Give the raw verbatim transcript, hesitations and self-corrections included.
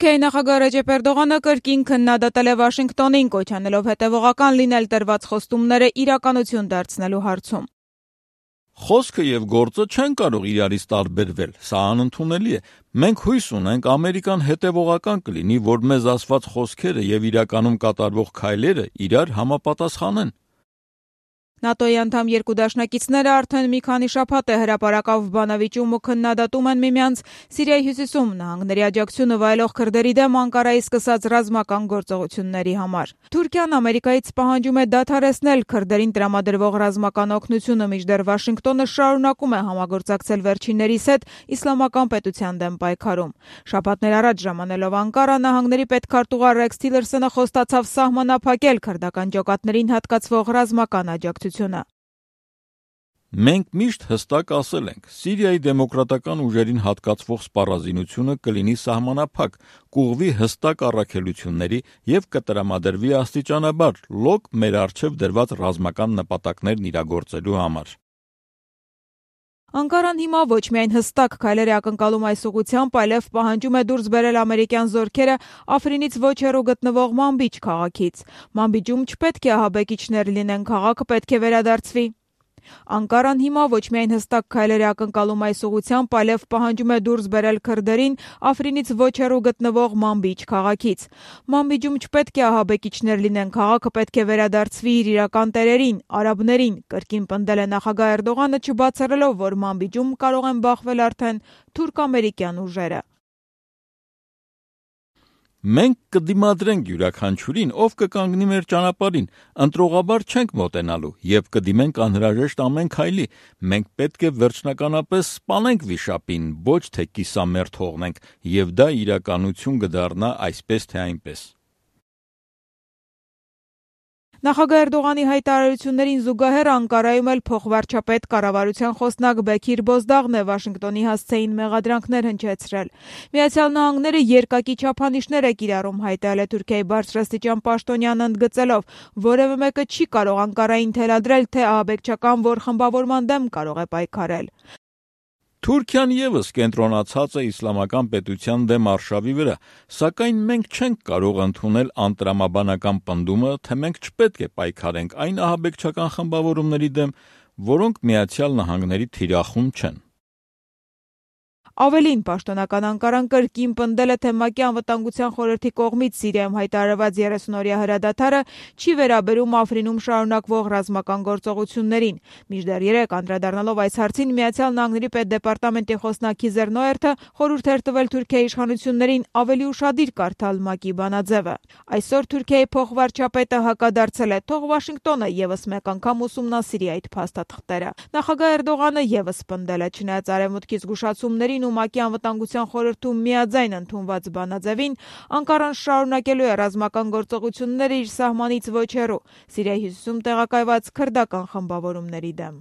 Թուրքիայի նախագահ Ռեջեփ Էրդողանը կրկին քննադատել է Վաշինգտոնին, կոչ անելով հետևողական լինել տրված խոստումները իրականություն դարձնելու հարցում։ Խոսքը եւ գործը չեն կարող իրարից տարբերվել, սա անընդունելի է։ Մենք հույս ունենք Ամերիկան հետևողական կլինի, որ մեզ ասված խոսքերը եւ իրականում կատարվող քայլերը իրար համապատասխանեն։ ՆԱՏՕ-ի անդամ երկու դաշնակիցները արդեն մի քանի շաբաթ է հրապարակավ բանավիճում ու քննադատում են միմյանց Սիրիայի հյուսիսում նահանգների աջակցությունը վայելող քրդերի դեմ Անկարայի սկսած ռազմական գործողությունների համար։ Թուրքիան Ամերիկայից պահանջում է դադարեցնել քրդերին տրամադրվող ռազմական օգնությունը, մինչդեռ Վաշինգտոնը շարունակում է համագործակցել վերջիններիս հետ իսլամական պետության դեմ պայքարում։ Շաբաթներ առաջ ժամանելով Անկարա, նահանգների պետքարտուղար Ռեքս Թիլերսոնը խոստացավ սահմանափակել քրդական ջոկատներին հատկացվող ռազմական աջակցությունը։ Մենք միշտ հստակ ասել ենք, Սիրիայի դեմոկրատական ուժերին հատկացվող սպառազինությունը կլինի սահմանափակ, կուղղվի հստակ առաքելությունների եւ կտրամադրվի աստիճանաբար լոկ մեր առջև դրված ռազմական նպատակներն իրագործելու համար։ Անկարան հիմա ոչ միայն հստակ քայլեր է ակնկալում այս ուղղությամբ, այլև պահանջում է դուրս բերել ամերիկյան զորքերը Աֆրինից ոչ հեռու գտնվող Մանբիջ քաղաքից։ Մանբիջում չպետք է ահաբեկիչներ լինեն, քաղաքը պետք է վերադարձվի։ Անկարան հիմա ոչ միայն հստակ քայլեր է ակնկալում այս ուղղությամբ, այլև պահանջում է դուրս բերել քրդերին Աֆրինից ոչ հեռու գտնվող Մանբիջ քաղաքից։ Մանբիջում չպետք է ահաբեկիչներ լինեն, քաղաքը պետք է վերադարձվի իր իրական տերերին, արաբներին, կրկին պնդել է նախագահ Էրդողանը, չբացառելով, որ Մանբիջում կարող են բախվել արդեն թուրք-ամերիկյան ուժերը։ Մենք կդիմադրենք յուրաքանչյուրին, ով կկանգնի մեր ճանապարհին, ընտրողաբար չենք մոտենալու եւ կդիմենք անհրաժեշտ ամեն քայլի։ Մենք պետք է վերջնականապես սպանենք վիշապին, ոչ թե կիսամերթ թողնենք, եւ դա իրականություն կդառնա այսպես թե այնպես։ Նախագահ Էրդողանի հայտարարություններին զուգահեռ Անկարայում էլ փոխվարչապետ կառավարության խոսնակ Բեքիր Բոզդաղն է Վաշինգտոնի հասցեին մեղադրանքներ հնչեցրել։ Միացյալ Նահանգները երկակի չափանիշներ է կիրառում, հայտարարել է Թուրքիայի բարձրաստիճան պաշտոնյան, ընդգծելով, որևէ մեկը չի կարող Անկարային թելադրել, թե ահաբեկչական որ խմբավորման դեմ կարող է պայքարել։ Թուրքիան եւս կենտրոնացած է իսլամական պետության դեմ արշավի վրա, սակայն մենք չենք կարող ընդունել անտրամաբանական պնդումը, թե մենք չպետք է պայքարենք այն ահաբեկչական խմբավորումների դեմ, որոնք Միացյալ Նահանգների թիրախում չեն։ Ավելին, պաշտոնական Անկարան կրկին պնդել է, թե ՄԱԿ-ի անվտանգության խորհրդի կողմից Սիրիայում հայտարարված երեսունօրյա հրադադարը չի վերաբերում Աֆրինում շարունակվող ռազմական գործողություններին։ Մինչդեռ երեկ անդրադառնալով այս հարցին, Միացյալ Նահանգների պետդեպարտամենտի խոսնակ Հիզեր Նոերթը խորհուրդ էր տվել Թուրքիայի իշխանություններին ավելի ուշադիր կարդալ ՄԱԿ-ի բանաձևը։ Այսօր Թուրքիայի փոխվարչապետը հակադարձել է, թող Վաշինգտոնը եւս մեկ անգամ ուսումնասիրի այդ փաստաթղթերը։ Նախագահ Էրդողանը եւս պնդել է, չնայած արևմուտքի զգուշացումներին ու ՄԱԿ-ի անվտանգության խորհրդում միաձայն ընդունված բանաձևին, Անկարան շարունակելու է ռազմական գործողությունները իր սահմանից ոչ հեռու Սիրիայի հյուսիսում տեղակայված քրդական խմբավորումների դեմ։